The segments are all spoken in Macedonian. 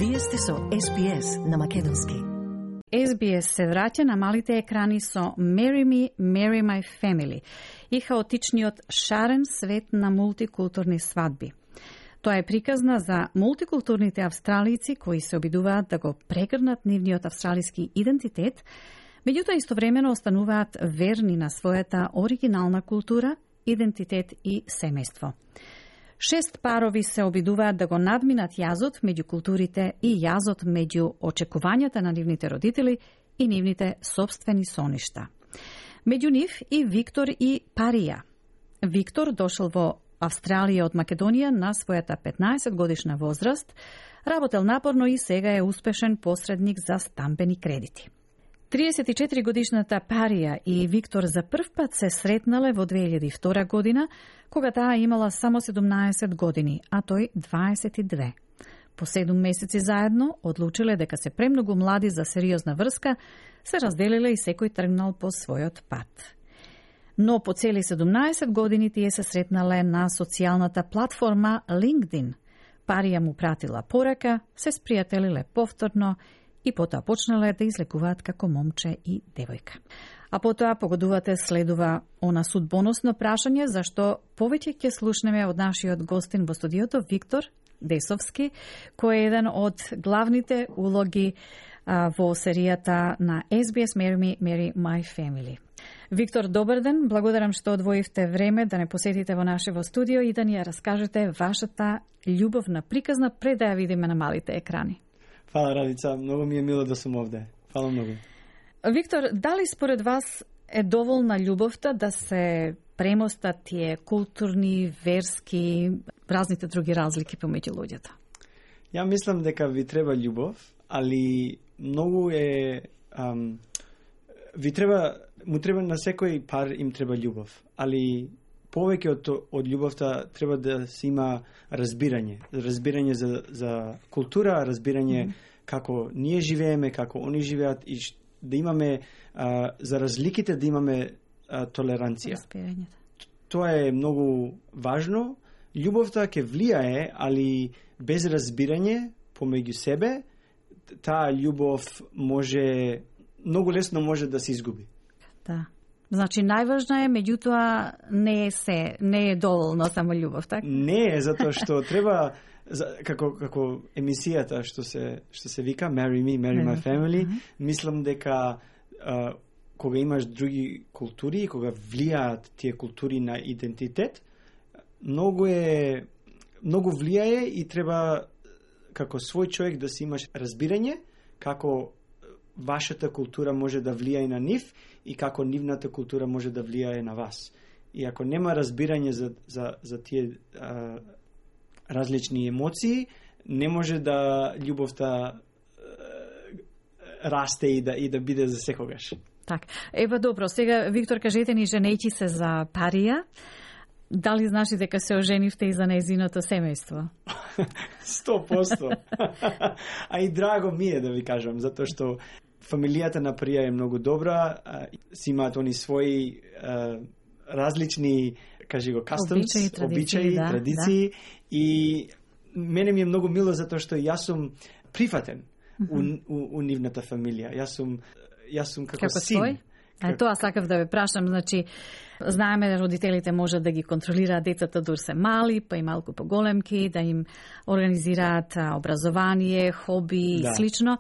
Вие сте со SBS на македонски. SBS се враќа на малите екрани со Marry Me, Marry My Family и хаотичниот шарен свет на мултикултурни свадби. Тоа е приказна за мултикултурните австралици кои се обидуваат да го прегрнат нивниот австралиски идентитет, меѓутоа истовремено остануваат верни на својата оригинална култура, идентитет и семејство. 6 парови се обидуваат да го надминат јазот меѓу културите и јазот меѓу очекувањата на нивните родители и нивните собствени соништа. Меѓу нив и Виктор и Парија. Виктор дошол во Австралија од Македонија на својата 15 годишна возраст, работел напорно и сега е успешен посредник за стамбени кредити. 34 годишната Парија и Виктор за прв пат се сретнале во 2002 година, кога таа имала само 17 години, а тој 22. По 7 месеци заедно одлучиле дека се премногу млади за сериозна врска, се разделиле и секој тргнал по својот пат. Но по цели 17 години тие се сретнале на социјалната платформа LinkedIn. Парија му пратила порака, се спријателиле повторно и потоа почнале да излекуваат како момче и девојка. А потоа погодувате следува она судбоносно прашање зашто повеќе ќе слушнеме од нашиот гостин во студиото Виктор Десовски, кој е еден од главните улоги во серијата на SBS Marry Me, Marry My Family. Виктор, добар ден, благодарам што одвоивте време да не посетите во нашево студио и да ни ја раскажете вашата љубовна приказна пред да ја видиме на малите екрани. Фала, Радица, многу ми е мило да сум овде. Фала многу. Виктор, дали според вас е доволна љубовта да се премостат тие културни, верски, разните други разлики помеѓу луѓето? Ја мислам дека ви треба љубов, али многу е... му треба на секој пар им треба љубов, али повеќе од љубовта треба да се има разбирање за култура, разбирање како ние живееме, како они живеат и да имаме за разликите да имаме толеранција. Тоа е многу важно. Љубовта ќе влијае, али без разбирање помеѓу себе, таа љубов многу лесно може да се изгуби. Да. Значи, најважна е, меѓутоа не е доволно само љубов, така? Не е, затоа што треба, како емисијата што се вика Marry Me, Marry My Family, мислам дека кога имаш други култури, кога влијаат тие култури на идентитет, многу влијае и треба како свој човек да си имаш разбирање како вашата култура може да влијае на нив и како нивната култура може да влијае на вас. И ако нема разбирање за тие различни емоции, не може да љубовта расте и да биде за секогаш. Так. Ева добро, сега Виктор, кажете ни, женејќи се за Парија, дали значи дека се оженивте и за нејзиното семејство? 100%. А и драго ми е да ви кажам, затоа што фамилијата на Парија е многу добра, си имаат они своји различни, кажи го, customs, обичаи, традиции, и мене ми е многу мило затоа што јас сум прифатен у нивната фамилија. Јас сум како син. Тоа сакав да ве прашам, значи, знаеме да родителите можат да ги контролираат децата дур се мали, па и малку поголемки, да им организираат образование, хоби и слично.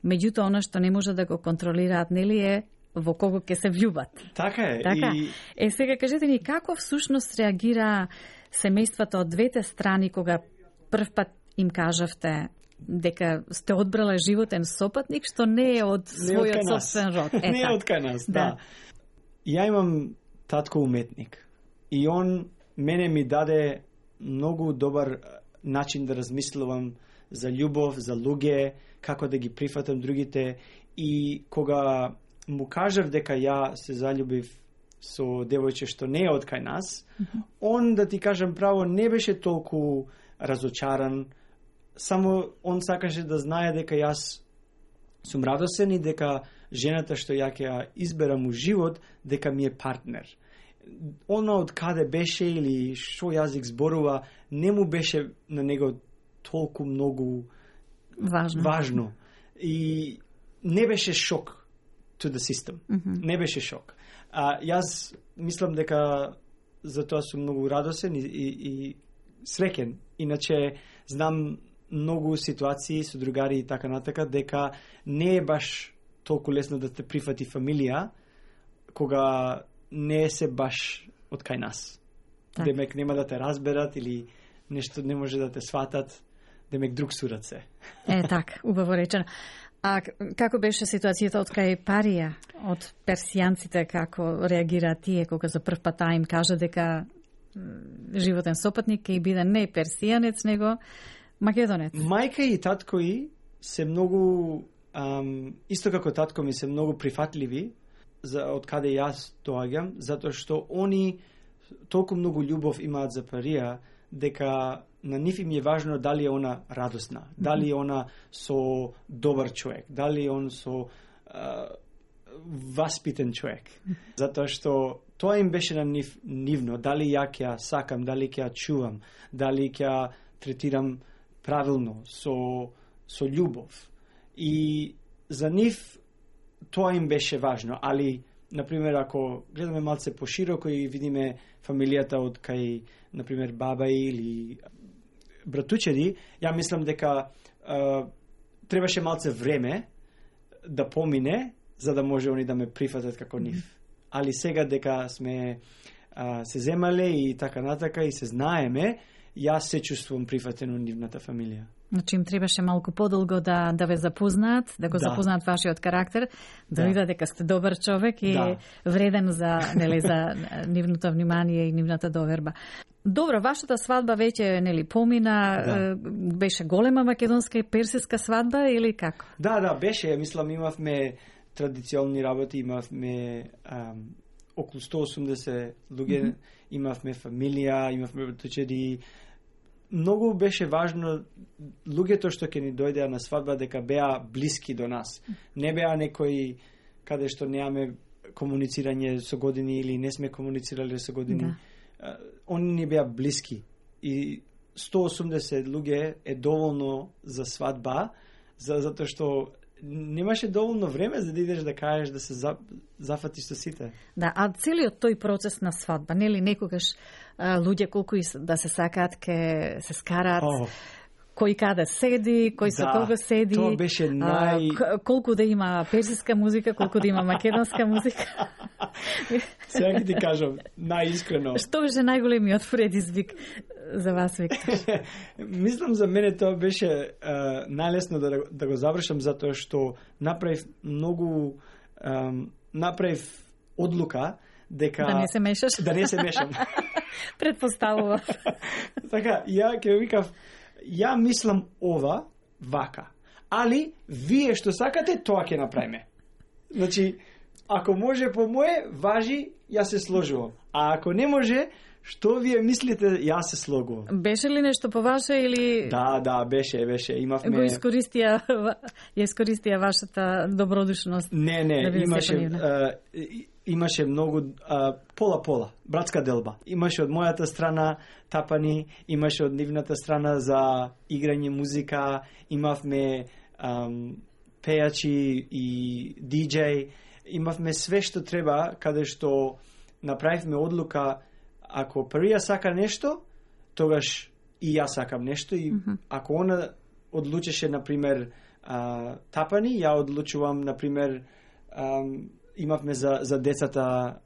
Меѓутоа, она што не може да го контролираат, нели е во кого ќе се влюбат. Така е. Така. Сега кажете ни, како всушност реагира семејствата од двете страни кога прв пат им кажавте дека сте одбрале животен сопатник што не е од својот собствен род. Не е од кај нас, да. Ја имам татко уметник и он мене ми даде многу добар начин да размислувам за љубов, за луѓе, како да ги прифатам другите, и кога му кажав дека ја се заљубив со девојче што не е од кај нас, он, да ти кажам право, не беше толку разочаран, само он сакаше да знае дека јас сум радосен и дека жената што ја ќе ја изберам у живот, дека ми е партнер. Она од каде беше или што јазик зборува, не му беше на него толку многу важно. И не беше шок to the system. Не беше шок. Јас мислам дека затоа сум многу радосен и среќен. Иначе знам многу ситуации со другари и така натака дека не е баш толку лесно да те прифати фамилија кога не се баш од кај нас. Так. Демек нема да те разберат или нешто не може да те сватат, демек друг сурат се. Так, убаво речено. А како беше ситуацијата од кај Парија, од персијанците, како реагира тие кога за прв пат им кажа дека животен сопатник ќе биде не персијанец, него македонец? Мајка и татко и се многу, исто како татко ми, се многу прифатливи од каде јас доаѓам, затоа што они толку многу љубов имаат за Парија, дека на нив им е важно дали е она радосна, дали е она со добар човек, дали е он со васпитен човек. Затоа што тоа им беше на нив нивно, дали ја ќе сакам, дали ќе чувам, дали ќе третирам правилно, со љубов. И за нив тоа им беше важно, али например, ако гледаме малце пошироко и видиме фамилијата од кај, например, баба или братучеди, ја мислам дека требаше малце време да помине, за да може они да ме прифатат како нив. Али сега дека сме се земале и така натака и се знаеме, јас се чувствувам прифатен од нивната фамилија. Значи им требаше малку подолго да ве запознаат, да го запознаат вашиот карактер, да видат дека сте добар човек и вреден за нивното внимание и нивната доверба. Добро, вашата свадба веќе помина, беше голема македонска и персиска свадба или како? Да, беше, мислам имавме традиционални работи, имавме околу 180 луѓе, имавме фамилија, имавме братучеди. Многу беше важно луѓето што ќе ни дојдеа на свадба дека беа блиски до нас. Не беа некои каде што немаме комуницирање со години или не сме комуницирале со години. Они ни беа блиски. И 180 луѓе е доволно за свадба, затоа што немаше доволно време за да идеш да кажеш да се зафатиш со сите. Да, а целиот тој процес на свадба, нели некогаш луѓе колку и да се сакаат ке се скараат, кој каде седи, кој со кого седи, тоа беше колку да има персиска музика, колку да има македонска музика. Сега ќе ти кажам, најискрено. Што беше најголемиот предизвик за вас, Виктор? Мислам за мене тоа беше најлесно да го завршам, затоа што направив одлука дека да не се мешаш. Да не се мешам. Предпоставував. Така, ја ќе викав, ја мислам ова вака. Али вие што сакате, тоа ќе направиме. Значи, ако може по мое, важи, ја се сложувам. А ако не може, што вие мислите, ја се слогувам. Беше ли нешто по ваше или... Да, беше. Имавме... Го искористија вашата добродушност? Не, имаше многу пола, братска делба. Имаше од мојата страна тапани, имаше од нивната страна за играње музика, имавме пејачи и диџеј, имавме све што треба, каде што направивме одлука, ако Парија сака нешто, тогаш и јас сакам нешто и ако она одлучеше, например, тапани, ја одлучувам, например, имавме за децата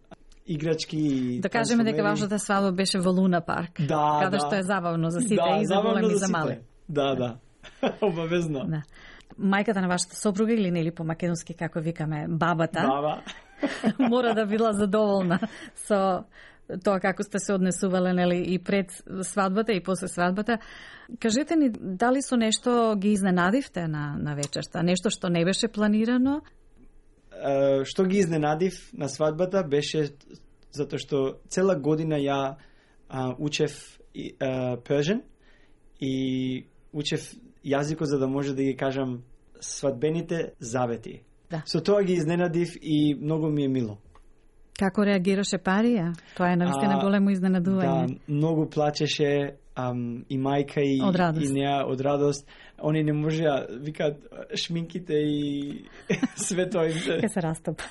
играчки. Да кажеме дека вашата свадба беше во Луна парк, каде што е забавно за сите и за големи и за мали. Да. Обавезно. Да. Мајката на вашата сопруга или нели по македонски како викаме бабата. Баба. Мора да била задоволна со тоа како сте се однесувале нели и пред свадбата и после свадбата. Кажете ни дали со нешто ги изненадивте на вечерта, нешто што не беше планирано? Што ги изненадив на свадбата беше затоа што цела година ја учев Persian и учев јазикот за да може да ги кажам свадбените завети. Да. Со тоа ги изненадив и многу ми е мило. Како реагираше Парија? Тоа е навистина големо изненадување. Да, многу плачеше и мајка и неа од радост. Они не можеа, викаат, шминките и све тоа им се... Ке се растопа.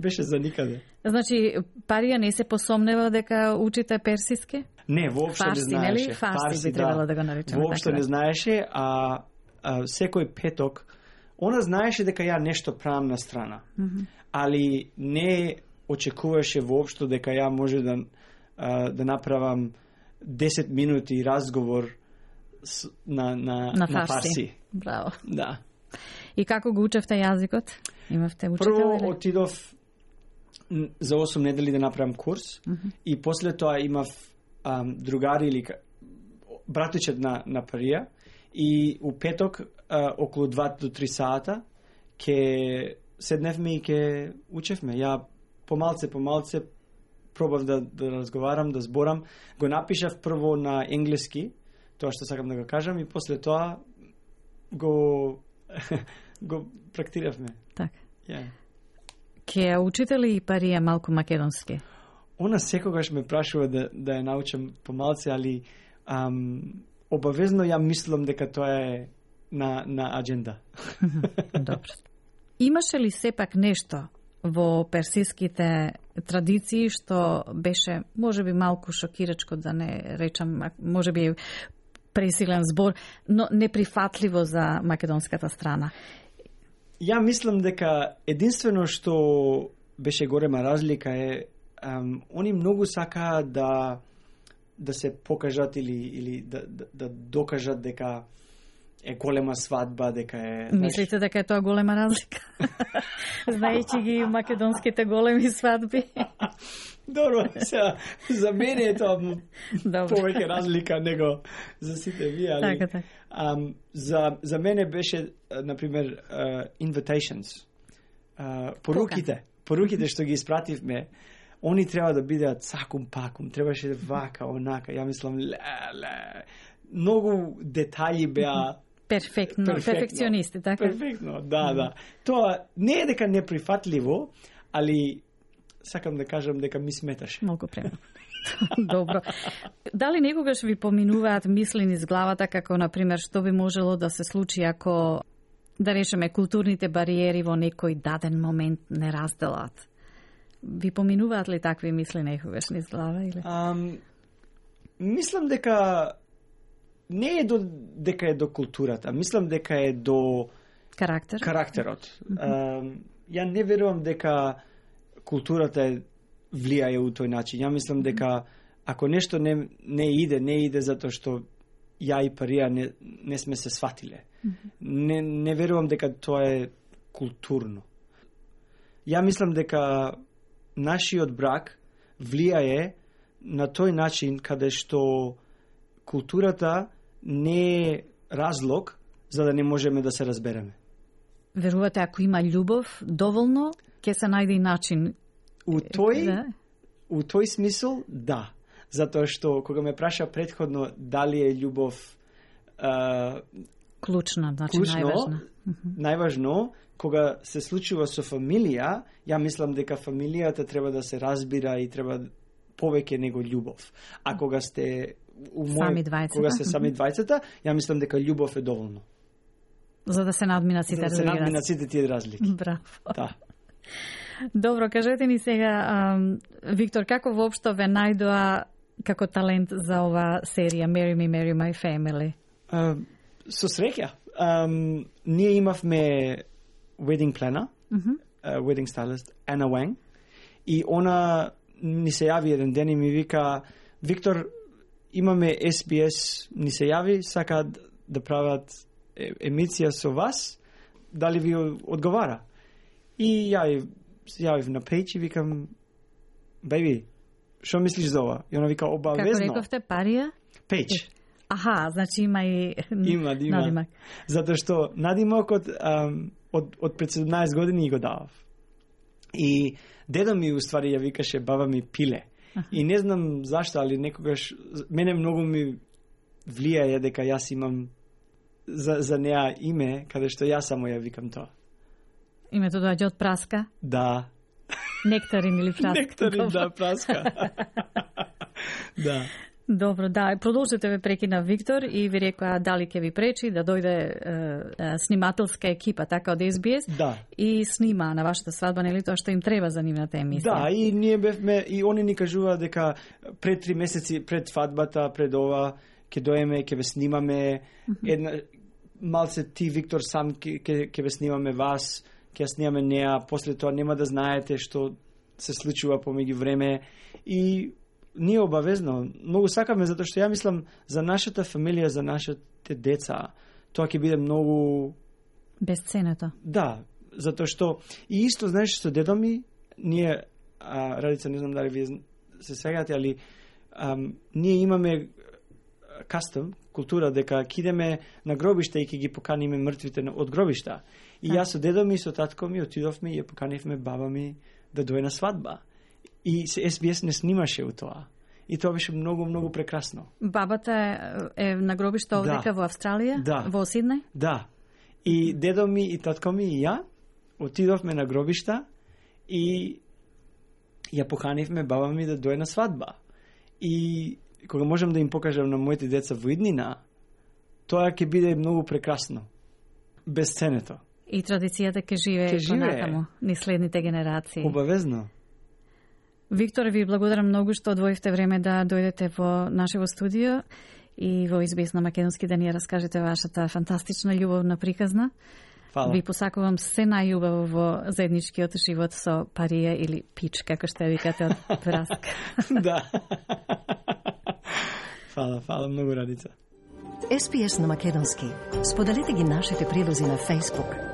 Беше за никаде. Значи, Парија не се посомнева дека учите персиски? Не, воопшто не знаеше. Фарси би требало да го наречеме. Воопшто не знаеше, а секој петок, она знаеше дека ја нешто правам на страна. Али не очекуваше воопшто дека ја може да направам 10 минути разговор на фарси. Браво. Да. И како го учевте јазикот? Имавте учител? Прво отидов за 8 недели да направам курс и после тоа имав другари или братичет на Парија и у петок околу 2 до 3 сата ке седневме и ке учевме. Ја помалце пробав да разговарам, да зборам. Го напишав прво на енглески, тоа што сакам да го кажам, и после тоа го практиравме. Така. Yeah. Ке учите ли и Парија малку македонски? Она секогаш ме прашува да ја научам помалце, али обавезно ја мислам дека тоа е на адженда. Добро. Имаше ли сепак нешто во персиските традиции што беше можеби малку шокирачко, да не речам, можеби пресилен збор, но неприфатливо за македонската страна? Ја мислам дека единствено што беше голема разлика е они многу сакаа да се покажат или да докажат дека е голема свадба, дека е... Мислите дека е тоа голема разлика? Знаејќи ги македонските големи свадби? Добро, за мене е тоа повеќе разлика него за сите вие, али... Така. За мене беше, например, invitations. Поруките што ги испративме, они треба да бидеат сакум-пакум, требаше вака, онака, ја мислам, многу детаји беа перфекционисти, така? Перфектно, да. Тоа не е дека неприфатливо, али сакам да кажам дека ми сметаше. Малку премно. Добро. Дали некогаш ви поминуваат мисли низ главата, како, например, што би можело да се случи ако, да речеме, културните бариери во некој даден момент не разделат? Ви поминуваат ли такви мисли некогаш низ глава? Или? Мислам дека не е дека е до културата, мислам дека е до карактерот. Ја не верувам дека културата влијае у тој начин. Ја мислам дека ако нешто не иде затоа што ја и Парија не сме се сватиле. Не верувам дека тоа е културно. Ја мислам дека нашиот брак влијае на тој начин каде што културата не е разлог за да не можеме да се разбереме. Верувате, ако има љубов доволно, ќе се најде и начин. У тој смисол, да. Затоа што кога ме праша претходно дали е љубов клучна, значи најважно, кога се случува со фамилија, ја мислам дека фамилијата треба да се разбира и треба повеќе него љубов. А кога сте кога се сами двајцата, ја мислам дека љубов е доволно. За да се надминат сите тие разлики. Браво. Да. Добро, кажете ни сега, Виктор, како воопшто ве најдоа како талент за ова серија Marry Me, Marry My Family? Со среќа. Ние имавме wedding planner, wedding stylist, Anna Wang, и она ни се јави еден ден и ми вика, Виктор, имаме SBS, ни се јави, сакаат да прават емисија со вас, дали ви одговара? И ја јавив на Пејч и викам, беби, што мислиш за ова? И она вика, обавезно. Како рековте, Парија? Пејч. Аха, значи има и надимак. Затоа што надимакот од пред 17 години го давав. И дедо ми уствари ја викаше баба ми Пиле. И не знам зашто, али некогаш мене многу ми влијае дека јас имам за неа име, каде што јас само ја викам тоа. Името доаѓа од праска? Да. Нектарин или праска. Нектарин, да, праска. Да. Добро, да, продолжете, ве прекина Виктор и ви рекоа дали ќе ви пречи да дојде снимателска екипа така од SBS Да. и снима на вашата свадба, нели тоа што им треба за нивната емисија. Да, и ние бевме, и они ни кажува дека пред 3 месеци пред свадбата, пред ова, ќе доеме, ќе ве снимаме, една малце ти, Виктор, сам ќе ве снимаме вас, ќе ја снимаме неа, после тоа нема да знаете што се случува помеѓу време и ние обавезно, многу сакаме, затоа што ја мислам за нашата фамилија, за нашите деца, тоа ќе биде многу Безценето. Да, затоа што и исто, знаеш, што дедо ми, ние, Радица, не знам дали вие се сеќавате, али ние имаме кастом, култура, дека ќе идеме на гробишта и ќе ги поканиме мртвите од гробишта. И јас со дедо ми, со татко ми, отидовме и ја поканивме баба ми да дојде на свадба. И SBS не снимаше у тоа. И тоа беше многу, многу прекрасно. Бабата е на гробиште овдека во Австралија? Да. Во Сиднеј? Да. И дедо ми, и татко ми, и ја, отидовме на гробишта и ја поканивме баба ми да дојде на свадба. И кога можам да им покажам на моите деца во иднина, тоа ќе биде многу прекрасно. Безценето. И традицијата ќе живее понатаму, ни следните генерации. Обавезно. Виктор, ви благодарам многу што одвоивте време да дојдете во нашево студио и во SBS на македонски да ни раскажете вашата фантастична љубовна приказна. Фала. Ви посакувам се најубаво во заедничкиот живот со Парија или Пич, како што викате од праска. Да. Фала, многу, Радица. SBS на македонски. Споделете ги нашите прилози на Facebook,